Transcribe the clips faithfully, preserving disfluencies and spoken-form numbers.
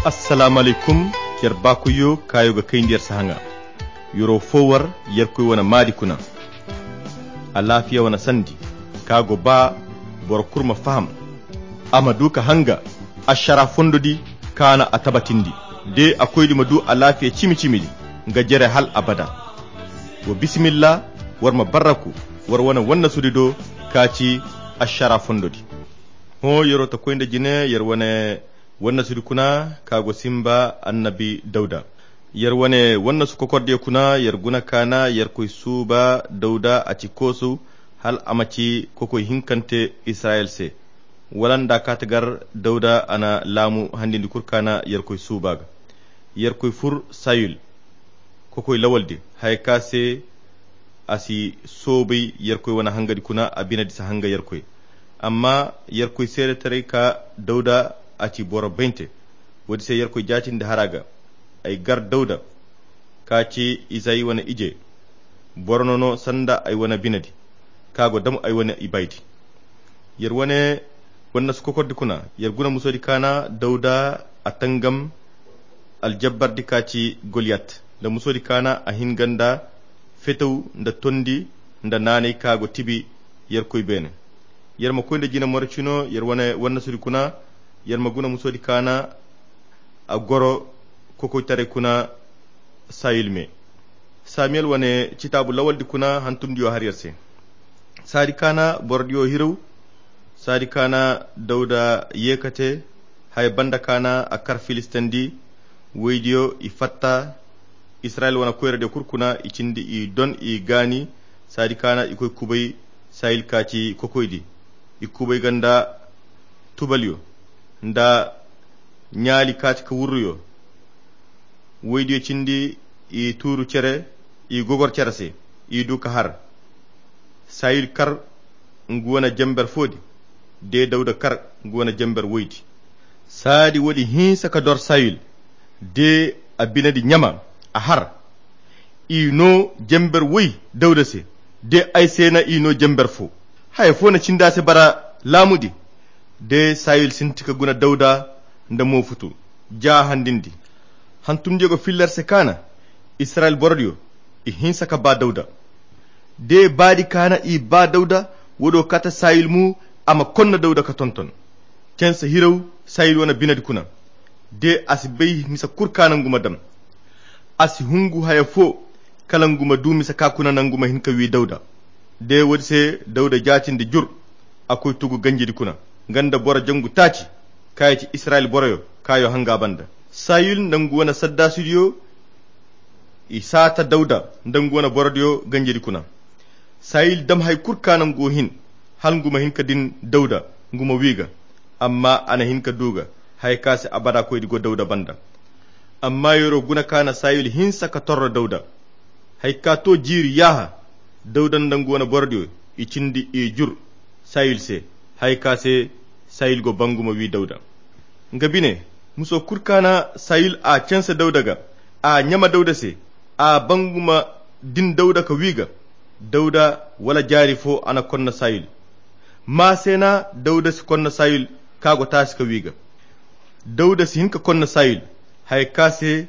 Assalaamu alaykum. Yer baakoyyo kaayo ga kayndi yer sahaŋa. Yer'o fo war yerkoy wane maadi kuna. Alaafiya wane sandi ka go ba boro kulu ma faham, a ma du ka hanga ašara fondo di kaana a tabatindi, de a koydi ma du alaafiya cimi-cimi di nga jere hal abada. Wa bisimilla, war ma barraku war wane wannasudi do ka ci ašara fondo di. Hõ yer'o ta koy nda jine yer wane wannasudi kuna ka go simba annabi dawda. Yer wane wannasu kokordiyo kuna yer guna kaana yerkoy suuba dawda a ci koosu hal a ma ci kokoy hinkante israyil se. Wala nda kaata gar dawda a na laamu handindi kul kaana yerkoy suuba ga. Yerkoy fur sayil kokoy lawal din haya ka se a si soobay yerkoy wane hangadi kuna a binadi si hanga yerkoy. Amma yerkoy seedetaray ka dawda a ci boro baynte. Woodi se yerkoy jaatindi hara ga ay gar dawda ka ci izay wane ije. Boro no no sanda ay wane binadi ka go dam ay wane ibaydi. Yer wane wannasu kokordi kuna yer guna musoodi kaana dawda a tangam aljabbardi ka ci goliyat nda musoodi kaana a hin ga nda fetaw nda tondi nda naanay ka go tibi yerkoy beene. Yer ma koy nda jina morocino yer wane wannasudi kuna yer ma guna musoodi kaana a goro kokoytaray kuna sayil me. Samiyel wane citaabu lawaldi kuna hantumdiyo har yer se. Saadi kaana borodiyo hiraw. Saadi kaana dawda yeekate haya banda kaana a kar filistandi. Woydiyo i fatta israyil wane koyradiyo kul kuna i cindi i don i gaani. Saadi kaana i koy kubay sayil ka ci kokoydi. I kubay ga nda tubalyo nda ɲaali ka ci ka wurruyo. Woydiyo cindi i tuuru cere i gogor cere se i du ka har. Sayil kar ngu wane jember foodi de dawda kar ngu wane jember woydi. Saadi woodi hinsa ka dor sayil de a binadi ɲama a har. I no jember woy dawda se de ay se na i no jember fo. Haya fo na cindi a se bara laamudi de sayil sinti ka guna dawda nda moofutu ja handindi. Hantumdiyo ga filler se kaana israyil borodiyo i hinsa ka baa dawda. De baadi kaana i baa dawda woodi wo kaata sayil mu a ma konna dawda ka tonton. Canse hiraw sayil wane binadi kuna de a si bay misa kul kaana ngu ma dam. A si hungu haya fo kala ngu ma du misa ka kuna nangu ma hin ka wi dawda. De woodi se dawda jaatindi jur a koy tugu ganjidi kuna nga nda boro jangu taaci. Kaayo ci israyil boroyo kaayo hanga banda sayil nda ngu wane saddaasidiyo i saata dawda nda ngu wane borodiyo ganjidi kuna. Sayil dam hay kul kaana ngu hin hala ngu ma hin ka din dawda ngu ma wi ga. Amma a na hin ka du ga haya ka se abada koydi go dawda banda. Amma yer'o guna kaana sayil hinsa ka torro dawda. Haya ka to jiiri yaaha dawda nda ngu wane borodiyo i cindi i jur sayil se. Haya ka se sayil go ba ngu ma wi dawda nga bine. Muso kul kaana sayil a canse dawda ga a ɲama dawda se a ba ngu ma din dawda ka wi ga. Dawda wala jaari fo a na konna sayil. Maa se na dawda si konna sayil ka go taasi ka wi ga. Dawda si hin ka konna sayil haya ka se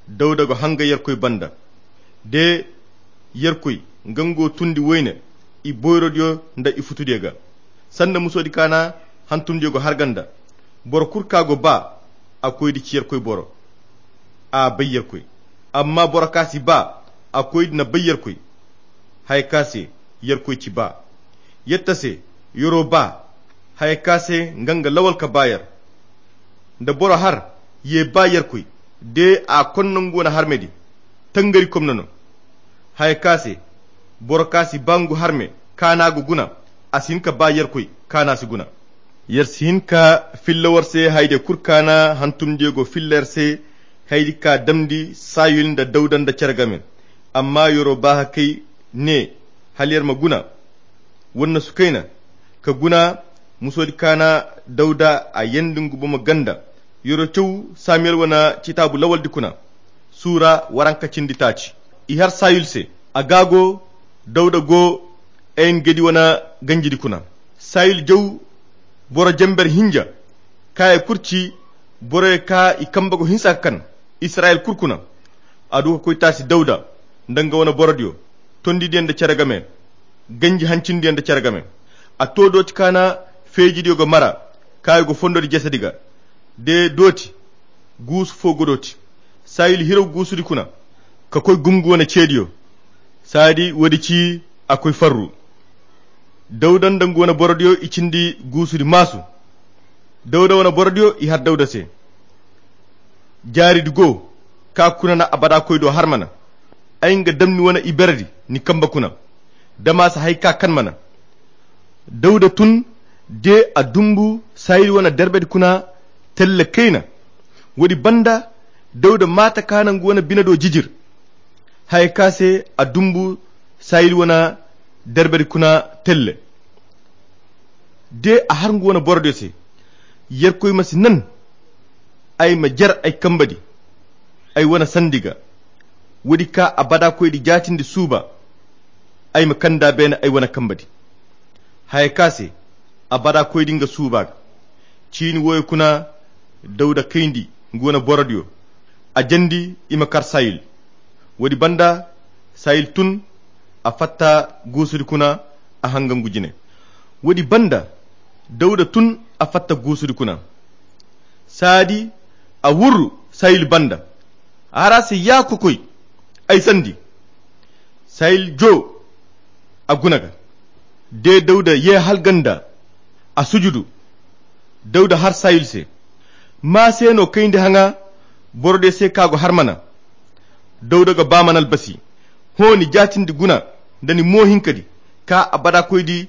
dawda go hanga yerkoy banda. De yerkoy nga ngu tundi woyne i boyrodiyo nda i futudiyo ga. Sanda musoodi kaana hantumdiyo go har ganda. Boro kul ka go ba a koydi ci yerkoy boro a bay yerkoy. Amma boro ka si ba a koydi na bay yerkoy. Haya ka se yerkoy ci ba yetta se yer'o ba haya ka se nga nga lawal ka ba yer. Nda boro har ye ba yerkoy de a konna ngu wane harmedi tangari komna no. Haya ka se boro ka si ba ngu harme kaana go guna a si hin ka ba yerkoy kaana si guna. Yer si hin ka filla war se hayde kul kaana hantumdiyo go filla yer se. Haydi ka damndi sayil nda dawda nda cere game. Amma yer'o ba hakay ne hala yer ma guna wannasu kayna ka guna. Musoodi kaana dawda a yeendi ngu bomo ganda. Yer'o caw samiyel wane citaabu lawaldi kuna suura waranka cindi taaci. I har sayil se a gaago dawda go en-gedi wane ganjidi kuna. Sayil jaw boro jember hinja kaayey kul ci Boroyo ka i kambe go hinsa ka kan israyel kulu kuna. A du ka koy taasi dawuda nda nga wane borodiyo, tondidiyo nda cere game, ganji hancindiyo nda cere game. A to dooti ka na feejidiyo go mara, ka i go fondodi jesedi ga. De dooti guusu fo go dooti. Sayil hiraw guusudi kuna ka koy gum nga wane ceediyo. Saadi woodi ci a koy farru. Dawuda nda nga wane borodiyo i cindi guusudi maasu. Dawuda wane borodiyo i har dawuda se. Jaaridi go ka kuna na abada koy do har mana. Ay nga dam ni wane iberedi ni kambe kuna. Dama si hay ka kan mana. Dawuda tun de a dumbu sayil wane derbedi kuna telle kayna. Woodi banda dawuda maata ka na nga wane bine do jijir. Haya ka se a dumbu sayil wane derbedi kuna telle. De a har nga wane borodiyo se. Yerkoy ma si nan ay ma jer ay kambedi ay wane sandi ga. Woodi ka abada koydi jaatindi suuba. Ay ma kanda beene ay wane kambedi. Haya ka se abada koydi nga suuba ga. Ciini wooyo kuna dawuda kayndi nga wane borodiyo. A jandi i ma kar sayil. Woodi banda sayil tun a fatta guusudi kuna a hangangu jine. Woodi banda dawuda tun a fatta guusudi kuna. Saadi a wurru sayil banda. A har a se ya kokoy ay sandi. Sayil joo a guna ga. De dawuda ye halganda a sujudu. Dawuda har sayil se. Ma se no kayndi haŋa borodiyo se ka go har mana. Dawuda ga ba mana albasi. Hõ ni jaatindi guna nda ni moohinkadi ka abada koydi.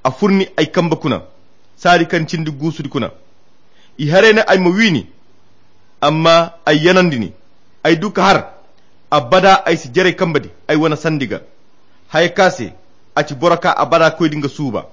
A fur ni ay kambe kuna saadi kaŋ cindi guusudi kuna. I haray ne ay ma wi ni. Amma ay yanandi ni. Ay du ka har abada ay si jaray kambedi ay wane sandi ga. Haya ka se a ci boro ka abada koydi nga suuba.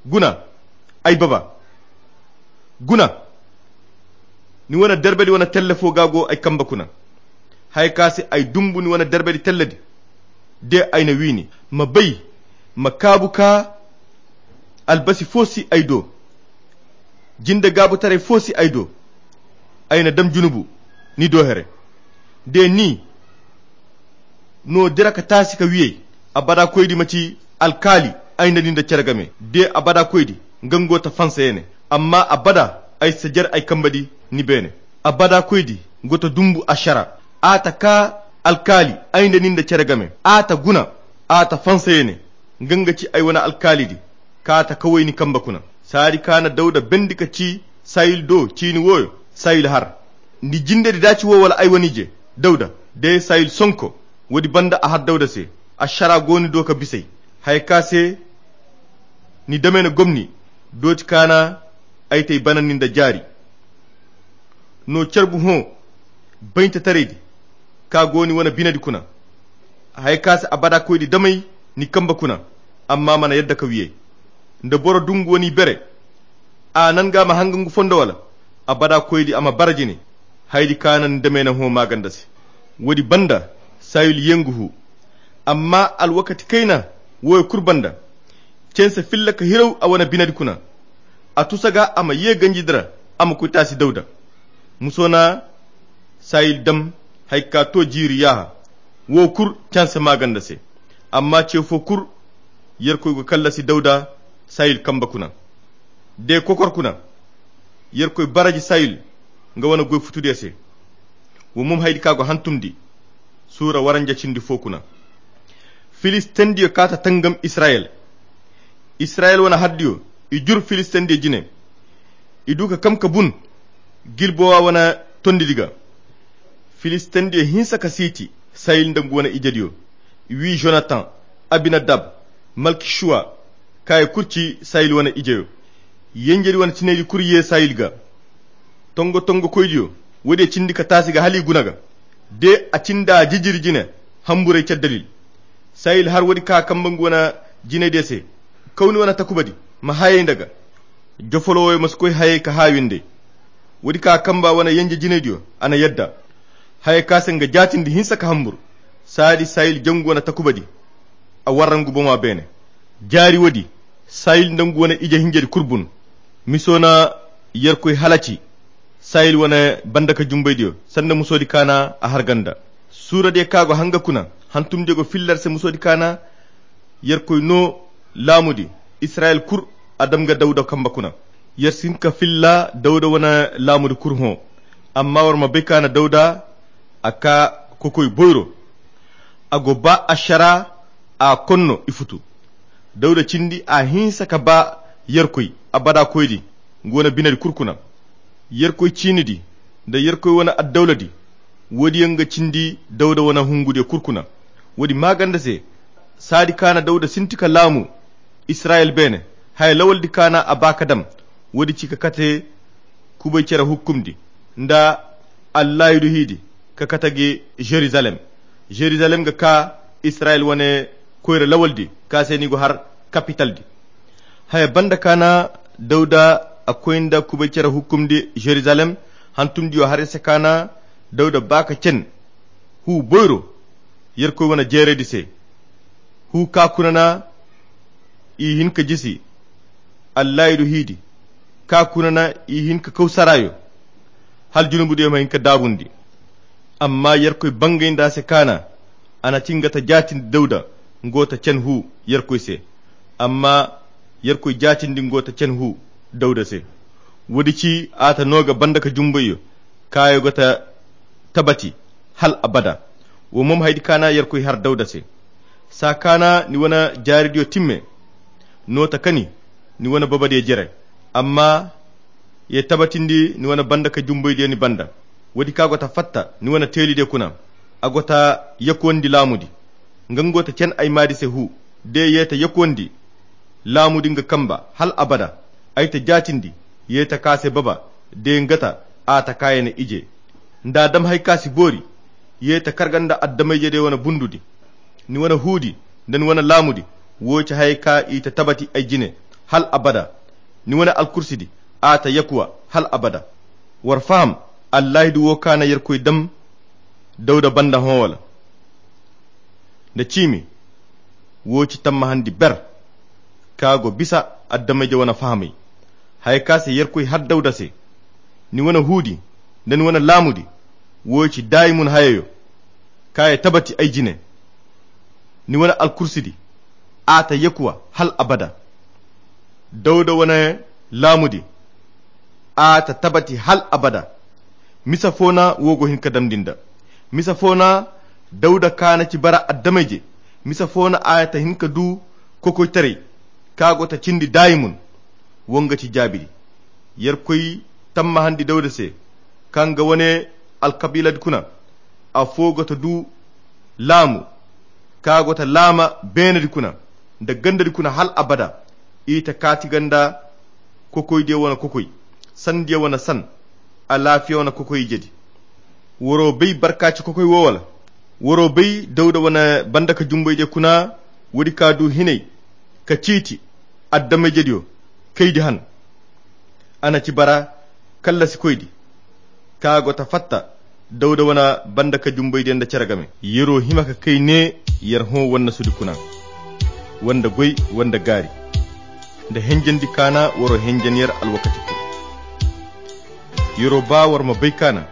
Guna ay baba. Guna ni wane derbedi wane telle fo ga go ay kambe kuna. Haya ka se ay dumbu ni wane derbedi telledi. De ay na wi ni ma bay ma kaabu ka albasi fo si ay do. Jinde gaabutaray fo si ay do. Ay na dam junubu ni do here. De ni no dira ka taasi ka wiyey. Abada koydi ma ci alkaali ay nda ni nda cere game de abada koydi. Nga nga go ta fansa ye ne amma abada ay si ta jare ay kambe di ni beene. Abada koydi go ta dumbu ašara. A ta kaa alkaali ay nda ni nda cere game. A ta guna a ta fansa ye ne. Nga nga ci ay wane alkaali di. Ka ta kaway ni kambe kuna. Saadi ka na dawda bendi ka ci sayil do ciini wooyo. Sayil har ni jinde di daaci wo wala ay wane ije? Dawda day sayil sonko. Woodi banda a har dawda se. Ašara go ni do ka bisay haya ka se ni dame na gomni. Dooti ka na ay tay banandi nda jaari. No carbu hõ bayntataraydi ka go ni wane binedi kuna. Haya ka se abada koydi damay ni kambe kuna. Amma mana yadda ka wiyay nda boro dungu wane ibere. A nan ga ma hanga ngu fondo wala abada koydi a ma bara jine. Haydi ka na ni dame na hõ maaganda se. Woodi banda sayil yengu hu. Amma alwakati kayna wooyo kulu banda canse filla ka hiraw a wane binedi kuna. A tusa ga a ma ye ganjidi ra a ma koy taasi dawda. Muso na sayil dam haya ka to jiiri yaaha. Woo kulu canse maaganda se. Amma ce foo kulu yerkoy go kallasi dawda sayil kambe kuna. De kokor kuna yerkoy baraji sayil nga wane goy futudiyo se. Wo mum haydi ka go hantumndi suura waranja cindi foo kuna. Filistendiyo ka ta tangam israyel. Israyel wane hardiyo i jur filistendiyo jine. I du ka kam ka bun gilbowa wane tondidi ga. Filistendiyo hinsa ka siiti sayil nda ngu wane ijediyo. I wi jonatan, abinadab, malkishuwa. Kaaya kulu ci sayil wane ijeyo. Yenjedi wane tinaydi kulu ye sayil ga. Tongo tongo koydiyo woodiyo cindi ka taasi ga hala i guna ga. De a cinda jijiri jine hamburay caddalil. Sayil har woodi ka kamba ngu wane jinaydiyo se. Kaw ni wane takubadi ma hayay nda ga. Jofolo wooyo ma si koy hayay ka haawinday. Woodi ka kamba wane yenje jinaydiyo a na yadda. Haya ka se nga jaatindi hinsa ka hambur. Saadi sayil jangu wane takubadi. A warra ngu boŋa beene. Jaari woodi sayil nda ngu wane ije hinjedi kulu bun. Miso na yerkoy halaci. Sayil wane banda ka jumbaydiyo sanda musoodi kaana a harganda. Suuradiyo ka go hanga kuna hantumdiyo go filla ar se musoodi kaana. Yerkoy no laamudi israyil kul a dam ga dawda kamba kuna. Yer si hin ka filla dawda wane laamudi kul hõ. Amma war ma bay kaana dawda a ka kokoy boyro. A go ba ašara a konno i futu. Dawda cindi a hinsa ka ba yerkoy abada koydi. Nga wane binedi kul kuna yerkoy ciinidi nda yerkoy wane addawladi. Woodi yaŋ ga cindi dawda wane hungudiyo kul kuna. Woodi maaganda se saadi kaana dawda sinti ka laamu israyil beene. Haya lawaldi kaana a ba ka dam. Woodi ci ka kate kubay cere hukkumdi nda allaahidu hiidi ka kate ga jerizalem. Jerizalem ga ka israyil wane koyra lawaldi ka se ni go har kapitaldi. Haya banda kaana dawda a koy nda kubay cere hukkumdi jerizalem. Hantumdiyo har ise kaana dawda ba ka cen huu boyro yerkoy wane jeeraydi se. Huu ka kuna na i hin ka jisi allaahidu hiidi ka kuna na i hin ka kaw saraayo. Hala junubudiyo ma hin ka daabundi. Amma yerkoy bangay nda a se kaana a na ti nga ta jaatindi dawda nga go ta cen huu yerkoy se. Amma yerkoy jaatindi nga go ta cen huu dawda se. Woodi ci a ta no ga banda ka jumbayyo kaayo ga ta tabati hal abada. Wo mo ma haydi kaana yerkoy har dawda se. Saa kaana ni wane jaaridiyo timme no ta kani ni wane babadiyo jere. Amma ye tabatindi ni wane banda ka jumbaydiyo ni banda. Woodi ka go ta fatta ni wane teelidiyo kuna a go ta yakuwandi laamudi. Nga nga go ta cen ay maadi se huu de ye ta yakuwandi laamudi nga kamba hal abada. Ay ta jaatindi ye ta ka se baba de nga ta a ta kaayane ije nda a dam hari ka si boori. Ye ta karga nda addamayjediyo wane bundudi. Ni wane huudi nda ni wane laamudi wo ci hayey ka i ta tabati ay jine hal abada. Ni wane alkursidi a ta yakuwa hal abada. War faham allaahidu wo ka na yerkoy dam dawda banda hõ wala nda ciimi. Wo ci tammahandi ber ka go bisa addamayje wane fahamay. Haya ka se yerkoy har dawda se ni wane huudi nda ni wane laamudi wo ci daayimun hayayo ka ye tabati ay jine. Ni wane alkursidi a ta yakuwa hal abada. Dawda wane laamudi a ta tabati hal abada. Misa fo na wo go hin ka damndi nda misa fo na dawda ka na ci bara addamayje. Misa fo na a ta hin ka du kokoytaray ka go ta cindi daayimun. Wo nga ci jaabidi yerkoy tammahandi dawda se ka nga wane alkabiiladi kuna. Afo go ta du laamu ka go ta laama beenadi kuna nda gandadi kuna hal abada. I ta kaati ganda kokoydiyo wane kokoy sandiyo wane san alaafiya wane kokoy ijedi. Waro bay barkaaci kokoy wo wala? Waro bay dawda wane banda ka jumbaydiyo kuna woodi ka du hinay ka ciiti addamayjediyo kaydi han. A na ci bara kallasikoydi ka go ta fatta dawda wane banda ka jumbaydiyo nda cere game. Yero hima ka kay ne yer hõ wannasudi kuna wanda goy wanda gaari nda henjandi kaana waro henjan yer alwakati kul. Yero ba war ma bay kaana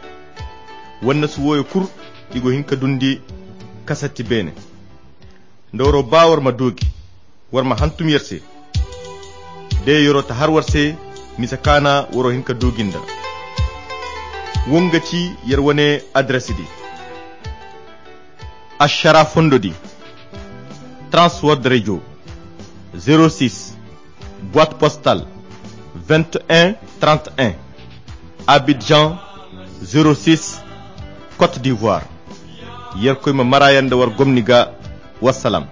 wannasu wooyo kul i go hin ka dundi kasatti beene. Nda waro ba war ma duugi war ma hantum yer se. De yero ta har war se misa kaana waro hin ka duugi nda wo nga ci yer wane adres di. Ašara fondo di transword radio zéro six boîte postale vingt et un trente et un, Abidjan zéro six, Côte d'Ivoire. Yerkoy ma marayan da war gomni ga. Wassalam.